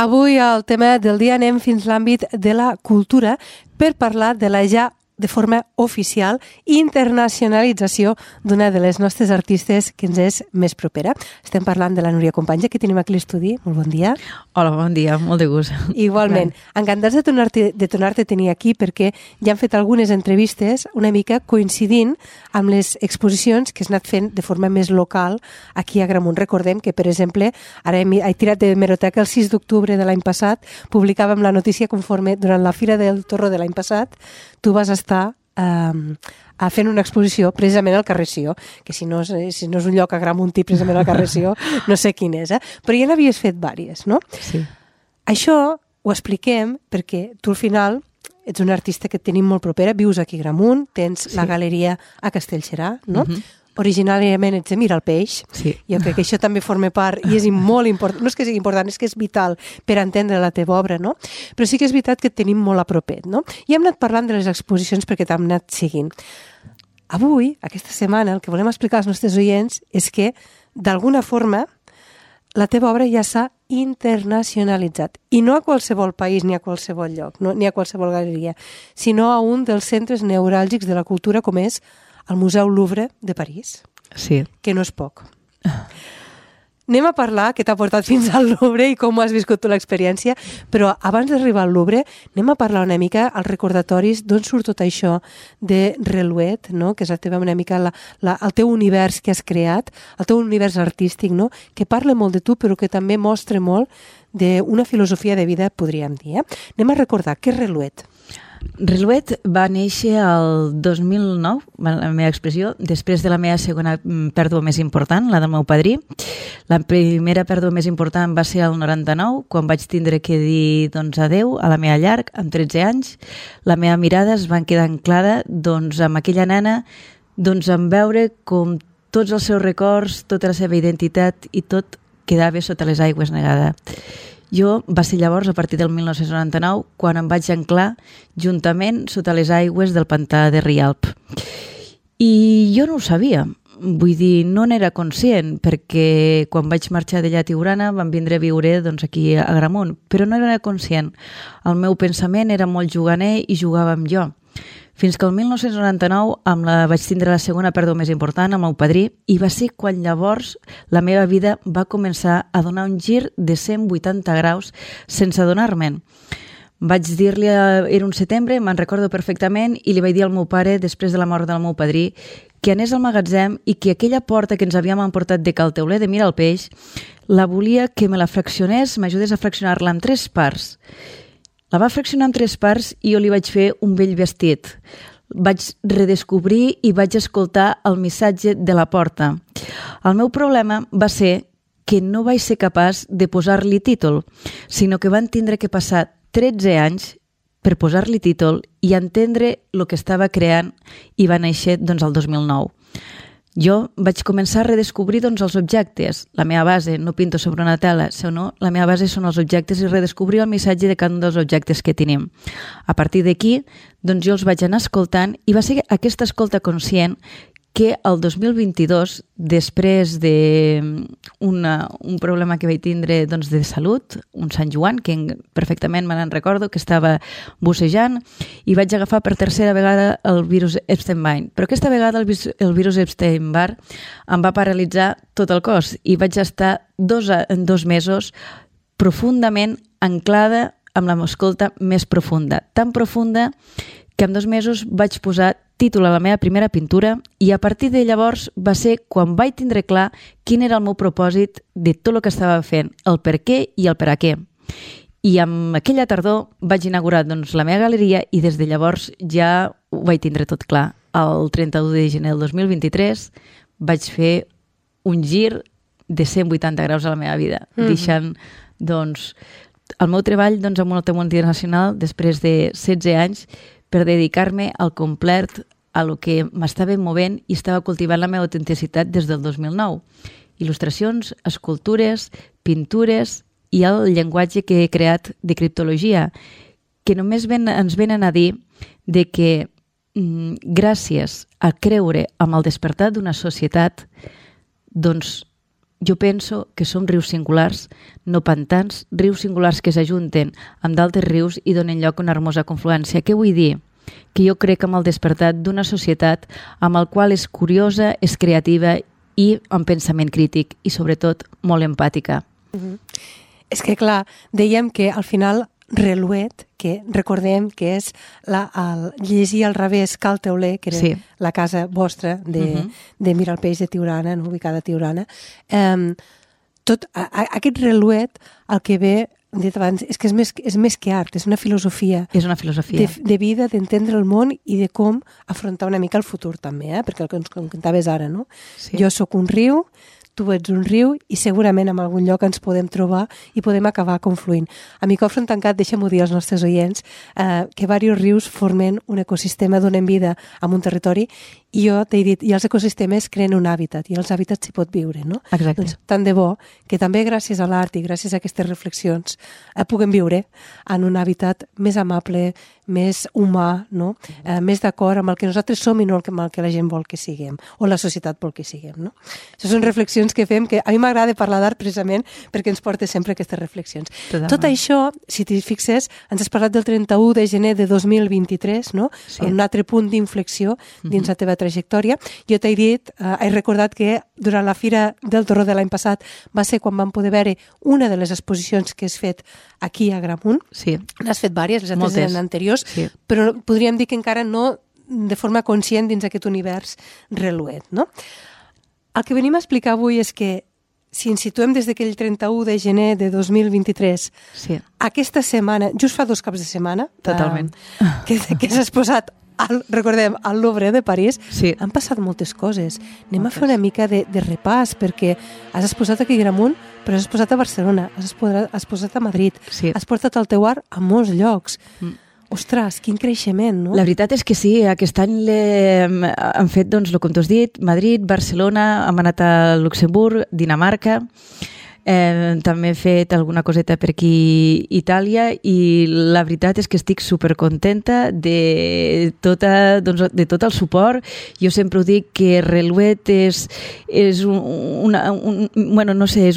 Avui al tema del dia anem fins l'àmbit de la cultura per parlar de la ja de forma oficial internacionalització d'una de les nostres artistes que ens és més propera. Estem parlant de la Núria Companys, que tenim aquí a l'estudi. Molt bon dia. Hola, bon dia, molt de gust. Igualment. Encantats de tornar-te a tenir aquí perquè ja han fet algunes entrevistes una mica coincidint amb les exposicions que has anat fent de forma més local aquí a Agramunt. Recordem que, per exemple, ara he tirat de hemeroteca el 6 d'octubre de l'any passat, publicàvem la notícia conforme durant la Fira del Torró de l'any passat tu vas estar fent una exposició precisament al carrer Sió, que si no és un lloc a Agramuntí precisament al carrer Sió, no sé quin és, però ja n'havies fet vàries, no? Sí. Això ho expliquem perquè tu al final ets una artista que et tenim molt propera, vius aquí a Agramunt, tens la galeria a Castellserà, no? Originàriament ets de Miralpeix. Sí. Jo crec que això també forma part i és molt important, no és que sigui important, és que és vital per entendre la teva obra, no? Però sí que és veritat que et tenim molt a propet, no? I hem anat parlant de les exposicions perquè t'hem anat seguint. Avui, aquesta setmana, el que volem explicar als nostres oients és que, d'alguna forma, la teva obra ja s'ha internacionalitzat. I no a qualsevol país ni a qualsevol lloc, no? Ni a qualsevol galeria, sinó a un dels centres neuràlgics de la cultura com és al Museu Louvre de París. Sí. Que no és poc. Anem a parlar què t'ha portat fins al Louvre i com has viscut tu l'experiència, però abans d'arribar al Louvre anem a parlar una mica als recordatoris d'on surt tot això de Relouet, no? Que és una mica el teu univers que has creat, el teu univers artístic, no? Que parla molt de tu però que també mostra molt d'una filosofia de vida, podríem dir. Anem a recordar què és Relouet. Relouet va néixer el 2009, la meva expressió, després de la meva segona pèrdua més important, la del meu padrí. La primera pèrdua més important va ser el 99, quan vaig tindre que dir adeu a la meva llar, amb 13 anys. La meva mirada es va quedar anclada amb aquella nena, en veure com tots els seus records, tota la seva identitat i tot quedava sota les aigües negada. Jo va ser llavors, a partir del 1999, quan em vaig anclar juntament sota les aigües del pantà de Rialp. I jo no ho sabia, vull dir, no n'era conscient, perquè quan vaig marxar d'allà a Tiurana vam vindre a viure aquí a Agramunt, però no era conscient. El meu pensament era molt juganer i jugava amb jo. Fins que el 1999 vaig tindre la segona pèrdua més important, el meu padrí, i va ser quan llavors la meva vida va començar a donar un gir de 180 graus sense adonar-me'n. Vaig dir-li, era un setembre, me'n recordo perfectament, i li vaig dir al meu pare, després de la mort del meu padrí, que anés al magatzem i que aquella porta que ens havíem emportat de Cal Teuler de Miralpeix la volia que me la fraccionés, m'ajudés a fraccionar-la en 3 parts. La va fraccionar en 3 parts i jo li vaig fer un vell vestit. Vaig redescobrir i vaig escoltar el missatge de la porta. El meu problema va ser que no vaig ser capaç de posar-li títol, sinó que van tindre que passar 13 anys per posar-li títol i entendre el que estava creant i va néixer el 2009. Jo vaig començar a redescobrir els objectes. La meva base, no pinto sobre una tela, sinó la meva base són els objectes i redescobrir el missatge de cada un dels objectes que tenim. A partir d'aquí, jo els vaig anar escoltant i va ser aquesta escolta conscient que el 2022, després d'un problema que vaig tindre de salut, un Sant Joan, que perfectament me n'en recordo, que estava bussejant, i vaig agafar per tercera vegada el virus Epstein-Barr. Però aquesta vegada el virus Epstein-Barr em va paralitzar tot el cos i vaig estar 2 mesos profundament anclada amb l'escolta més profunda. Tan profunda que en 2 mesos vaig posar títol a la meva primera pintura i a partir de llavors va ser quan vaig tindre clar quin era el meu propòsit de tot el que estava fent, el per què i el per a què. I amb aquella tardor vaig inaugurar la meva galeria i des de llavors ja ho vaig tindre tot clar. El 31 de gener del 2023 vaig fer un gir de 180 graus a la meva vida, deixant el meu treball amb una tema internacional després de 16 anys per dedicar-me al complet a lo que m'estava movent i estava cultivant la meva autenticitat des del 2009. Il·lustracions, escultures, pintures i el llenguatge que he creat de criptologia, que només ens venen a dir de que gràcies a creure amb el despertar d'una societat, jo penso que som rius singulars, no pantans, rius singulars que s'ajunten amb d'altres rius i donen lloc a una hermosa confluència. Què vull dir? Que jo crec amb el despertat d'una societat amb el qual és curiosa, és creativa i amb pensament crític i, sobretot, molt empàtica. És que, clar, dèiem que al final Reluet, que recordem que és el llegir al revés Cal Teuler, que era la casa vostra de Miralpeix de Tiurana, no? Ubicada a Tiurana. Tot aquest Reluet, el que ve, hem dit abans, és que és més que art, és una filosofia. És una filosofia. De vida, d'entendre el món i de com afrontar una mica el futur també, perquè el que ens comentaves ara, no? Sí. Jo sóc un riu, tu ets un riu i segurament en algun lloc ens podem trobar i podem acabar confluint. A Micòfon Tancat, deixa'm-ho dir als nostres oients, que diversos rius formen un ecosistema, donen vida a un territori i jo t'he dit, i els ecosistemes creen un hàbitat i els hàbitats s'hi pot viure, no? Exacte. Doncs tant de bo que també gràcies a l'art i gràcies a aquestes reflexions puguem viure en un hàbitat més amable, més humà, no? Més d'acord amb el que nosaltres som i no amb el que la gent vol que siguem o la societat vol que siguem, no? Això són reflexions que fem, que a mi m'agrada parlar d'art precisament perquè ens porta sempre aquestes reflexions. Totalment. Tot això, si t'hi fixes, ens has parlat del 31 de gener de 2023, no? Sí. Un altre punt d'inflexió dins la teva trajectòria. Jo t'he dit, he recordat que durant la Fira del Torró de l'any passat va ser quan vam poder veure una de les exposicions que has fet aquí a Gramunt. Sí. N'has fet diverses, les altres eren anteriors, sí. Però podríem dir que encara no de forma conscient dins aquest univers Reluet, no? El que venim a explicar avui és que si ens situem des d'aquell 31 de gener de 2023, sí. Aquesta setmana, just fa 2 caps de setmana, totalment, que s'ha exposat recordem, al Louvre de París, sí. Han passat moltes coses. Anem a fer una mica de repàs, perquè has exposat aquí a Gramunt, però has exposat a Barcelona, has exposat a Madrid, sí. Has portat el teu art a molts llocs. Ostres, quin creixement, no? La veritat és que sí, aquest any hem fet, doncs, com tu has dit, Madrid, Barcelona, hem anat a Luxemburg, Dinamarca, també he fet alguna coseta per aquí Itàlia i la veritat és que estic supercontenta de tot el suport. Jo sempre ho dic que Reluet és un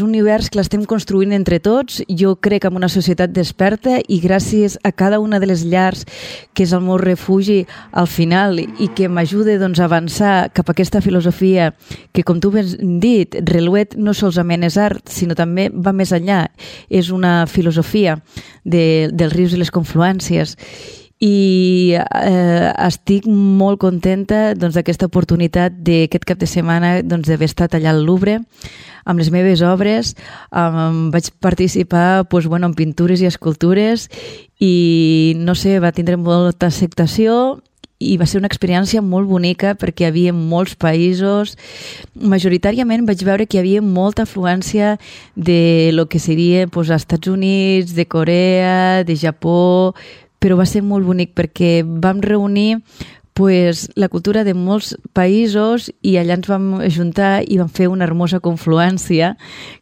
univers que l'estem construint entre tots. Jo crec en una societat desperta i gràcies a cada una de les llars que és el meu refugi al final i que m'ajuda doncs, a avançar cap a aquesta filosofia que, com tu has dit, Reluet no solament és art, sinó també va més enllà. És una filosofia dels rius i les confluències. I estic molt contenta d'aquesta oportunitat d'aquest cap de setmana d'haver estat allà al Louvre amb les meves obres. Vaig participar en pintures i escultures i no sé, va tindre molta acceptació i va ser una experiència molt bonica perquè hi havia molts països. Majoritàriament vaig veure que hi havia molta afluència de lo que seria Estats Units, de Corea, de Japó, però va ser molt bonic perquè vam reunir la cultura de molts països i allà ens vam ajuntar i vam fer una hermosa confluència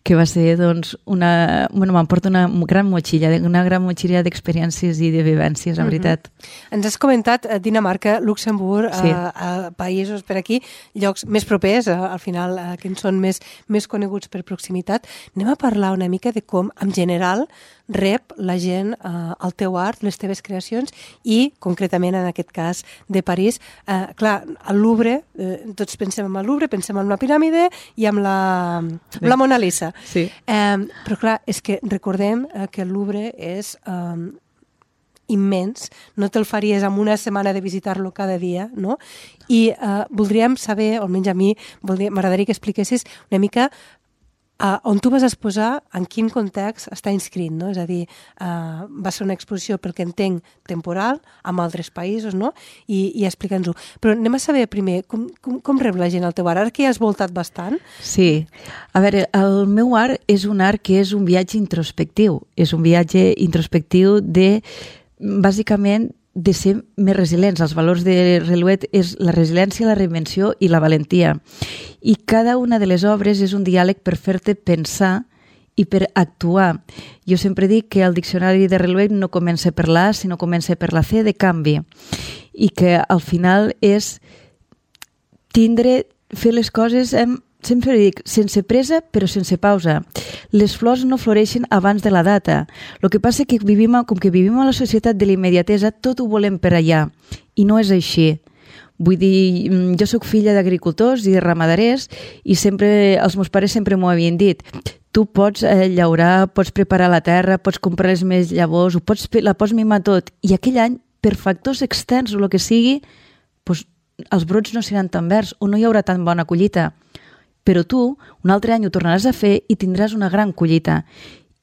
que va ser, m'emporta una gran motxilla d'experiències i de vivències, en veritat. Ens has comentat Dinamarca, Luxemburg, sí. Països per aquí, llocs més propers, al final, que ens són més coneguts per proximitat. Anem a parlar una mica de com, en general, rep la gent el teu art, les teves creacions i, concretament, en aquest cas, de París. Clar, al Louvre, tots pensem en el Louvre, pensem en una piràmide i amb la Mona Lisa. Sí. Però clar, és que recordem que el Louvre és immens, no te'l faries en una setmana de visitar-lo cada dia, no? I voldríem saber, almenys a mi, m'agradaria que expliquessis una mica on tu vas exposar, en quin context està inscrit, no? És a dir, va ser una exposició, pel que entenc, temporal, amb altres països, no? I explica'ns-ho. Però anem a saber primer, com rep la gent el teu art? Ara que ja has voltat bastant. Sí. A veure, el meu art és un art que és un viatge introspectiu. És un viatge introspectiu bàsicament, de ser més resilients. Els valors de Reluet és la resiliència, la reinvenció i la valentia. I cada una de les obres és un diàleg per fer-te pensar i per actuar. Jo sempre dic que el diccionari de Reluet no comença per la A, sinó comença per la C de canvi. I que al final és fer les coses sempre dic, sense pressa però sense pausa. Les flors no floreixen abans de la data. El que passa que com que vivim a la societat de la immediatesa, tot ho volem per allà. I no és així. Vull dir, jo sóc filla d'agricultors i ramaders i sempre, els meus pares sempre m'ho havien dit. Tu pots llaurar, pots preparar la terra, pots comprar les més llavors, la pots mimar tot. I aquell any, per factors externs o el que sigui, doncs, els brots no seran tan verds o no hi haurà tan bona collita. Però tu, un altre any ho tornaràs a fer i tindràs una gran collita.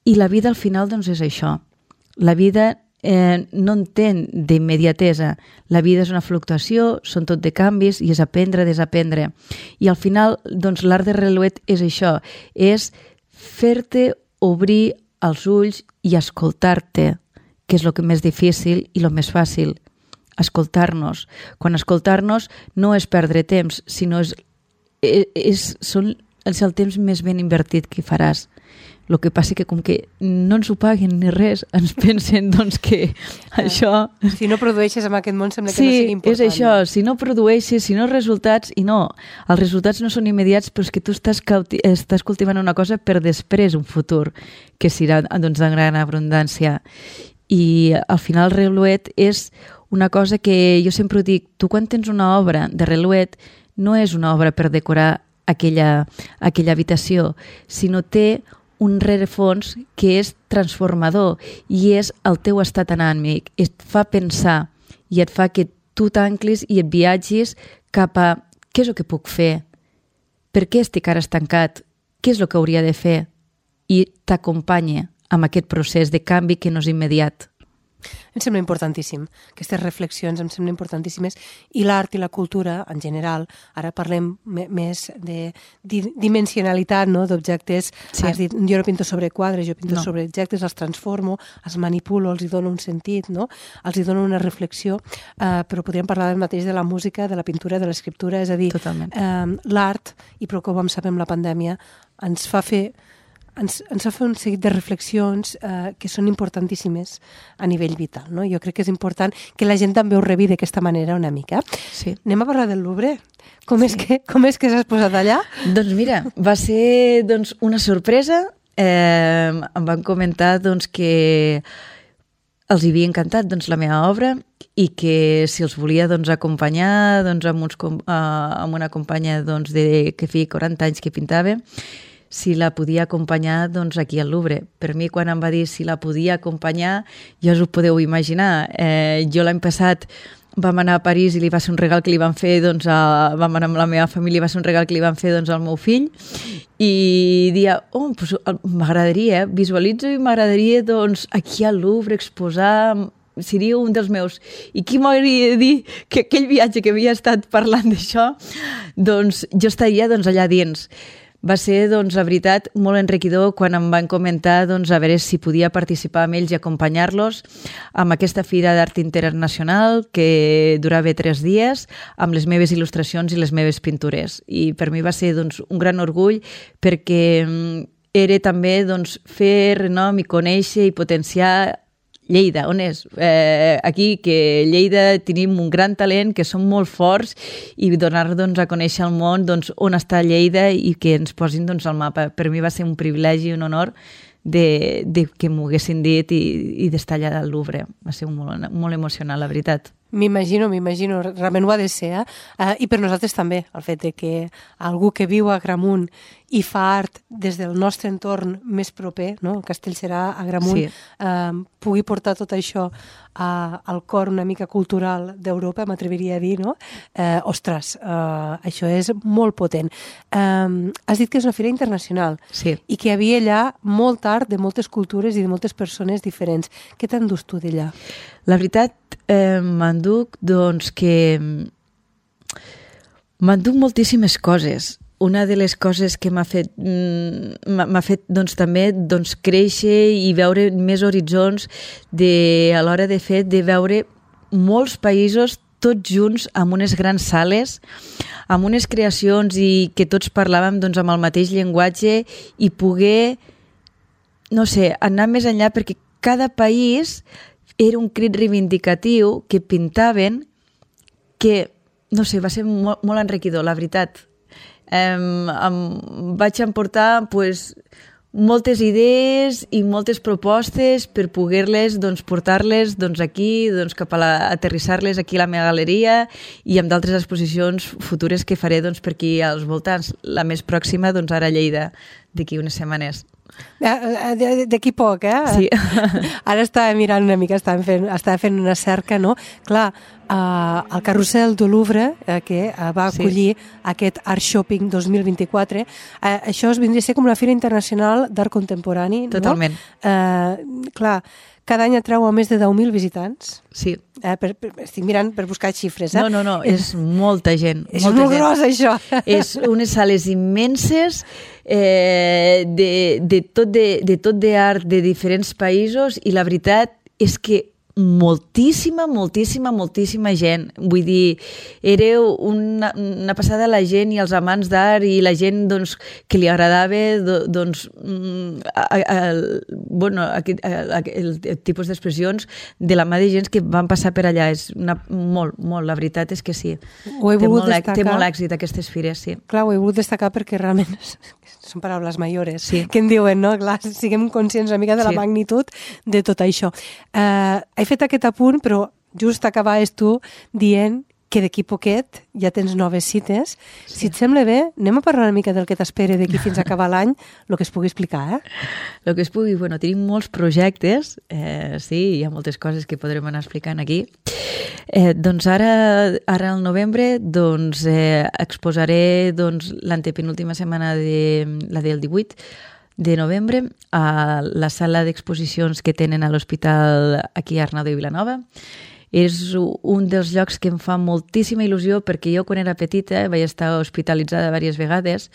I la vida al final, doncs, és això. La vida no entén d'immediatesa. La vida és una fluctuació, són tot de canvis i és aprendre, desaprendre. I al final, doncs, l'art de Relouet és això, és fer-te obrir els ulls i escoltar-te, que és el que més difícil i el més fàcil. Escoltar-nos. Quan escoltar-nos no és perdre temps, sinó és el temps més ben invertit que faràs. El que passa que com que no ens ho paguen ni res, ens pensen doncs que això... Si no produeixes en aquest món sembla que no sigui important. Sí, és això, si no produeixes, si no resultats, i no, els resultats no són immediats, però és que tu estàs cultivant una cosa per després un futur, que serà doncs, de gran abundància. I al final Relouet és una cosa que jo sempre ho dic, tu quan tens una obra de Relouet no és una obra per decorar aquella habitació, sinó té un rerefons que és transformador i és el teu estat anàmic, et fa pensar i et fa que tu t'anclis i et viatgis cap a què és el que puc fer, per què estic ara estancat, què és el que hauria de fer, i t'acompanya amb aquest procés de canvi que no és immediat. Em sembla importantíssim. Aquestes reflexions em semblen importantíssimes i l'art i la cultura, en general, ara parlem més de dimensionalitat, no? D'objectes. Sí. Has dit, jo no pinto sobre quadres, jo pinto sobre objectes, els transformo, els manipulo, els hi dono un sentit, no? Els hi dono una reflexió, però podríem parlar del mateix de la música, de la pintura, de l'escriptura, és a dir, l'art, i prou que ho vam saber amb la pandèmia, ens fa fer un seguit de reflexions que són importantíssimes a nivell vital, no? Jo crec que és important que la gent també ho rebi d'aquesta manera una mica. Sí. Anem a parlar del Louvre. Com és que s'has posat allà? Doncs mira, va ser una sorpresa. Em van comentar que els havia encantat la meva obra i que si els volia acompanyar amb una companya que feia 40 anys que pintava, si la podia acompanyar aquí al Louvre. Per mi, quan em va dir si la podia acompanyar, ja us ho podeu imaginar. Jo l'any passat vam anar a París i li va ser un regal que li van fer, vam anar amb la meva família, va ser un regal que li van fer al meu fill, i dia, m'agradaria, visualitzo i m'agradaria aquí al Louvre exposar, seria un dels meus. I qui m'hauria de dir que aquell viatge que havia estat parlant d'això, jo estaria allà dins. Va ser, la veritat, molt enriquidor quan em van comentar a veure si podia participar amb ells i acompanyar-los amb aquesta Fira d'Art Internacional que durava 3 dies amb les meves il·lustracions i les meves pintures. I per mi va ser un gran orgull perquè era també fer renom i conèixer i potenciar Lleida, on és? Aquí, que Lleida tenim un gran talent, que som molt forts, i donar a conèixer al món on està Lleida i que ens posin al mapa. Per mi va ser un privilegi i un honor de que m'ho haguessin dit i d'estar allà al Louvre. Va ser molt emocionant, la veritat. M'imagino, realment ho ha de ser, i per nosaltres també, el fet de que algú que viu a Agramunt i fa art des del nostre entorn més proper, no? El Castellserà, Agramunt, pugui portar tot això al cor una mica cultural d'Europa, m'atreviria a dir, no? Ostres, això és molt potent. Has dit que és una fira internacional i que hi havia allà molt art de moltes cultures i de moltes persones diferents. Què t'endús tu d'allà? La veritat, m'enduc moltíssimes coses. Una de les coses que m'ha fet també créixer i veure més horitzons a l'hora de veure molts països tots junts amb unes grans sales, amb unes creacions i que tots parlàvem amb el mateix llenguatge i poder, anar més enllà, perquè cada país era un crit reivindicatiu que pintaven que, va ser molt enriquidor, la veritat. em vaig emportar moltes idees i moltes propostes per poder-les portar-les aquí, cap a aterrissar-les aquí a la meva galeria i amb d'altres exposicions futures que faré per aquí als voltants. La més pròxima, ara a Lleida, d'aquí unes setmanes. D'aquí poc, eh? Sí. Ara estava mirant una mica, estava fent una cerca, no? Clar, el Carrusel du Louvre, que va acollir aquest Art Shopping 2024, això vindria a ser com una fira internacional d'art contemporani, no? Totalment. Clar, cada any atreu a més de 10.000 visitants. Sí. Estic mirant per buscar xifres. No, és molta gent. És molt gros, això. És unes sales immenses de tot d'art de diferents països i la veritat és que moltíssima gent. Vull dir, era una passada la gent i els amants d'art i la gent que li agradava el tipus d'expressions de la mà de gent que van passar per allà. És molt, la veritat és que sí. Té molt èxit aquestes fires, sí. Clar, ho he volgut destacar perquè realment són paraules mayores, sí. Que en diuen, no? Clar, siguem conscients una mica de la magnitud de tot això. He fet aquest apunt, però just acabaves tu dient que d'aquí poquet ja tens noves cites. Sí. Si et sembla bé, anem a parlar una mica del que t'espera d'aquí fins a acabar l'any, el que es pugui explicar, eh? El que es pugui, tenim molts projectes, sí, hi ha moltes coses que podrem anar explicant aquí. Ara al novembre exposaré l'antepenúltima setmana la del 18 de novembre a la sala d'exposicions que tenen a l'hospital aquí a Arnau de Vilanova. És un dels llocs que em fa moltíssima il·lusió perquè jo quan era petita vaig estar hospitalitzada diverses vegades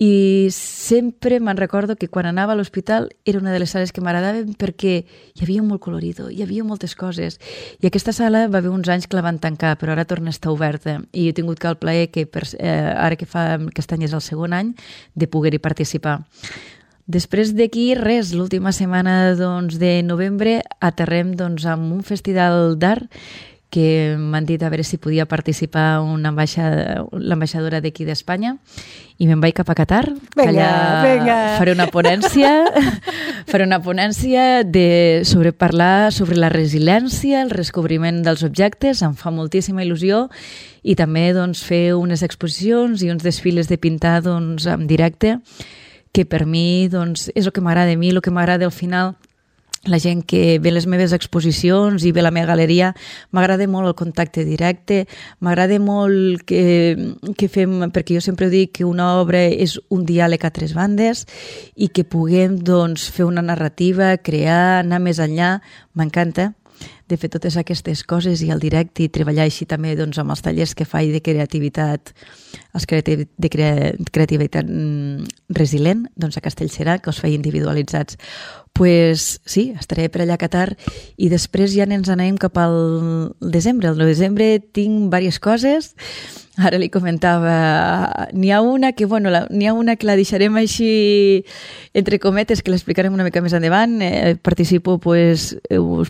i sempre me'n recordo que quan anava a l'hospital era una de les sales que m'agradaven perquè hi havia molt colorido, hi havia moltes coses. I aquesta sala va haver uns anys que la van tancar, però ara torna a estar oberta. I he tingut el plaer que ara que fa aquest any és el segon any de poder-hi participar. Després d'aquí, l'última setmana de novembre aterrem amb un festival d'art que m'han dit a veure si podia participar l'ambaixadora d'aquí d'Espanya i me'n vaig cap a Qatar. Vinga. Faré una ponència sobre parlar sobre la resiliència, el descobriment dels objectes, em fa moltíssima il·lusió i també fer unes exposicions i uns desfiles de pintar en directe que per mi és el que m'agrada a mi, el que m'agrada al final, la gent que ve a les meves exposicions i ve a la meva galeria, m'agrada molt el contacte directe, m'agrada molt que fem, perquè jo sempre dic que una obra és un diàleg a tres bandes i que puguem fer una narrativa, crear, anar més enllà, m'encanta de fer totes aquestes coses i el directe i treballar així també amb els tallers que faig de creativitat, de creativitat resilient, a Castellserà, que els faig individualitzats. Sí, estaré per allà a Qatar i després ja ens anem cap al desembre. Al desembre tinc diverses coses. Ara li comentava, n'hi ha una que la deixarem així entre cometes, que l'explicarem una mica més endavant. Participo, us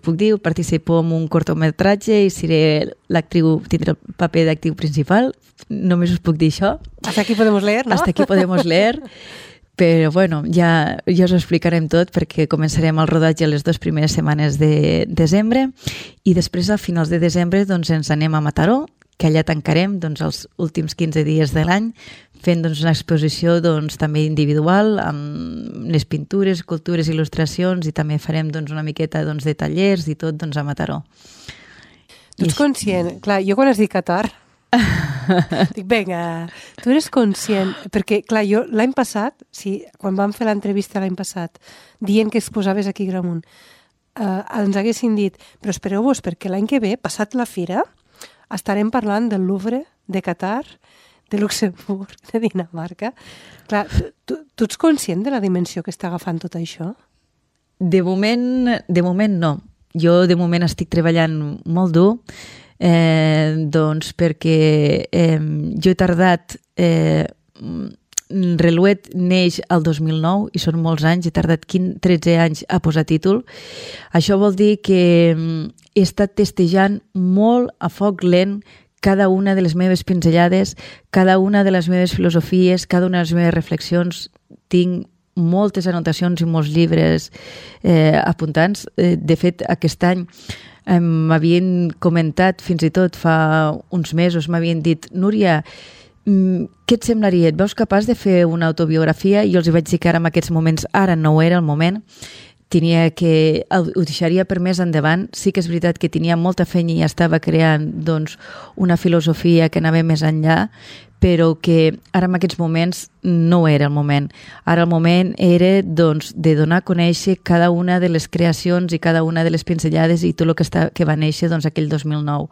puc dir, participo en un cortometratge i seré l'actriu, tindré el paper d'actriu principal. Només us puc dir això. Hasta aquí podemos leer, ¿no? Hasta aquí podemos leer. Però ja us ho explicarem tot perquè començarem el rodatge les 2 primeres setmanes de desembre i després a finals de desembre ens anem a Mataró, que allà tancarem els últims 15 dies de l'any fent una exposició també individual amb les pintures, escultures, il·lustracions i també farem una miqueta de tallers i tot a Mataró. Tu ets conscient? Clar, jo quan has dit Qatar dic, vinga, tu eres conscient perquè, clar, jo l'any passat quan vam fer l'entrevista l'any passat dient que exposaves aquí a Gramunt ens haguessin dit, però espereu-vos perquè l'any que ve, passat la fira estarem parlant del Louvre, de Qatar, de Luxemburg, de Dinamarca. Clar, tu ets conscient de la dimensió que està agafant tot això? De moment no. Jo de moment estic treballant molt dur perquè jo he tardat Reluet neix el 2009 i són molts anys, he tardat 13 anys a posar títol. Això vol dir que he estat testejant molt a foc lent cada una de les meves pinzellades, cada una de les meves filosofies, cada una de les meves reflexions. Tinc moltes anotacions i molts llibres apuntats. De fet, aquest any m'havien comentat, fins i tot fa uns mesos, m'havien dit: Núria, què et semblaria? Et veus capaç de fer una autobiografia? I jo els vaig dir que ara en aquests moments, ara no era el moment, ho deixaria per més endavant. Sí que és veritat que tenia molta feina i estava creant una filosofia que anava més enllà, però que ara en aquests moments no era el moment. Ara el moment era de donar a conèixer cada una de les creacions i cada una de les pinzellades i tot el que va néixer aquell 2009.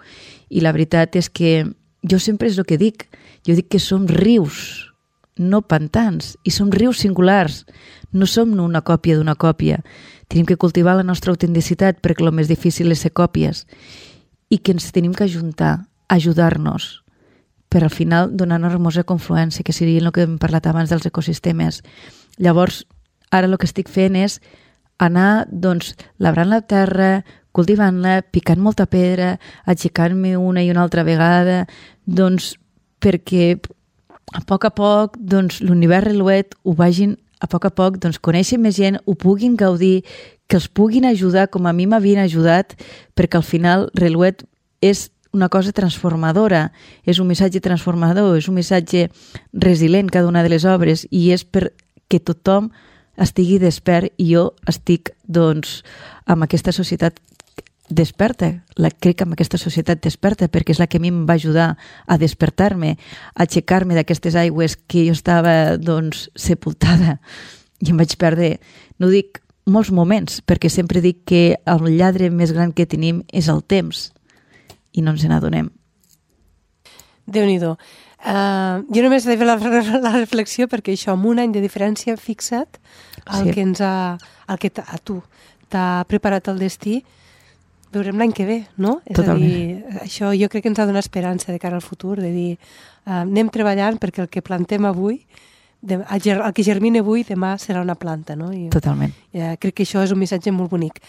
I la veritat és que jo sempre és el que dic. Jo dic que som rius, no pantans, i som rius singulars. No som una còpia d'una còpia. Tenim que cultivar la nostra autenticitat, perquè el més difícil és ser còpies, i que ens tenim que ajudar-nos per al final donar una hermosa confluència, que seria el que hem parlat abans dels ecosistemes. Llavors, ara el que estic fent és anar labrant la terra, cultivant-la, picant molta pedra, aixecant-me una i una altra vegada, perquè a poc l'univers Relouet ho vagin a poc coneixen més gent, ho puguin gaudir, que els puguin ajudar com a mi m'havien ajudat, perquè al final Relouet és una cosa transformadora, és un missatge transformador, és un missatge resilient cada una de les obres, i és perquè tothom estigui despert, i jo estic amb aquesta societat desperta, crec que amb aquesta societat desperta, perquè és la que a mi em va ajudar a despertar-me, a aixecar-me d'aquestes aigües que jo estava sepultada i em vaig perdre, no dic molts moments, perquè sempre dic que el lladre més gran que tenim és el temps i no ens n'adonem. Déu-n'hi-do. Jo només he de fer la reflexió perquè això, amb un any de diferència, fixa't el que a tu t'ha preparat el destí. Veurem l'any que ve, no? Totalment. És a dir, això jo crec que ens ha de donar esperança de cara al futur, de dir, anem treballant perquè el que plantem avui, el que germina avui, demà serà una planta, no? Totalment. Crec que això és un missatge molt bonic.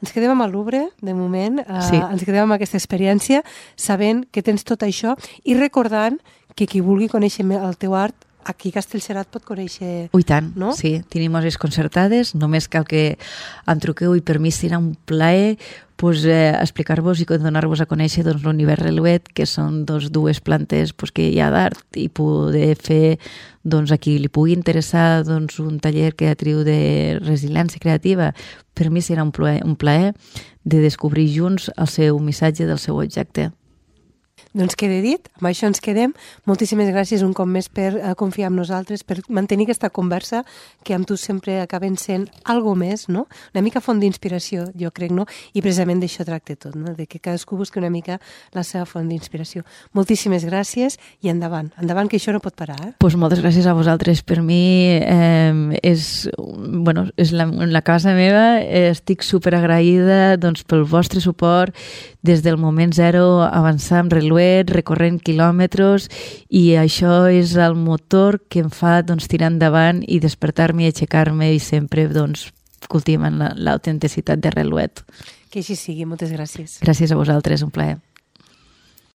Ens quedem amb el Louvre, de moment, sí. Ens quedem amb aquesta experiència, sabent que tens tot això i recordant que qui vulgui conèixer el teu art, aquí a Castellserà pot conèixer... I tant, no? Sí. Tenim hores concertades, només cal que em truqueu i per mi serà un plaer explicar-vos i donar-vos a conèixer l'univers Relouet, que són dues plantes que hi ha d'art, i poder fer a qui li pugui interessar un taller creatiu de resiliència creativa. Per mi serà un plaer de descobrir junts el seu missatge del seu objecte. Doncs queda dit, amb això ens quedem. Moltíssimes gràcies un cop més per confiar en nosaltres, per mantenir aquesta conversa que amb tu sempre acaben sent algo més, no? Una mica font d'inspiració, jo crec, no? I precisament d'això tracta tot, no? De que cadascú busqui una mica la seva font d'inspiració. Moltíssimes gràcies i endavant. Endavant, que això no pot parar, eh? Pues moltes gràcies a vosaltres. Per mi és la casa meva. Estic superagraïda pel vostre suport des del moment zero, avançar amb Relouet, recorrent quilòmetres, i això és el motor que em fa tirar endavant i despertar-me i aixecar-me i sempre cultivant l'autenticitat de Relouet. Que així sigui. Moltes gràcies. Gràcies a vosaltres, un plaer.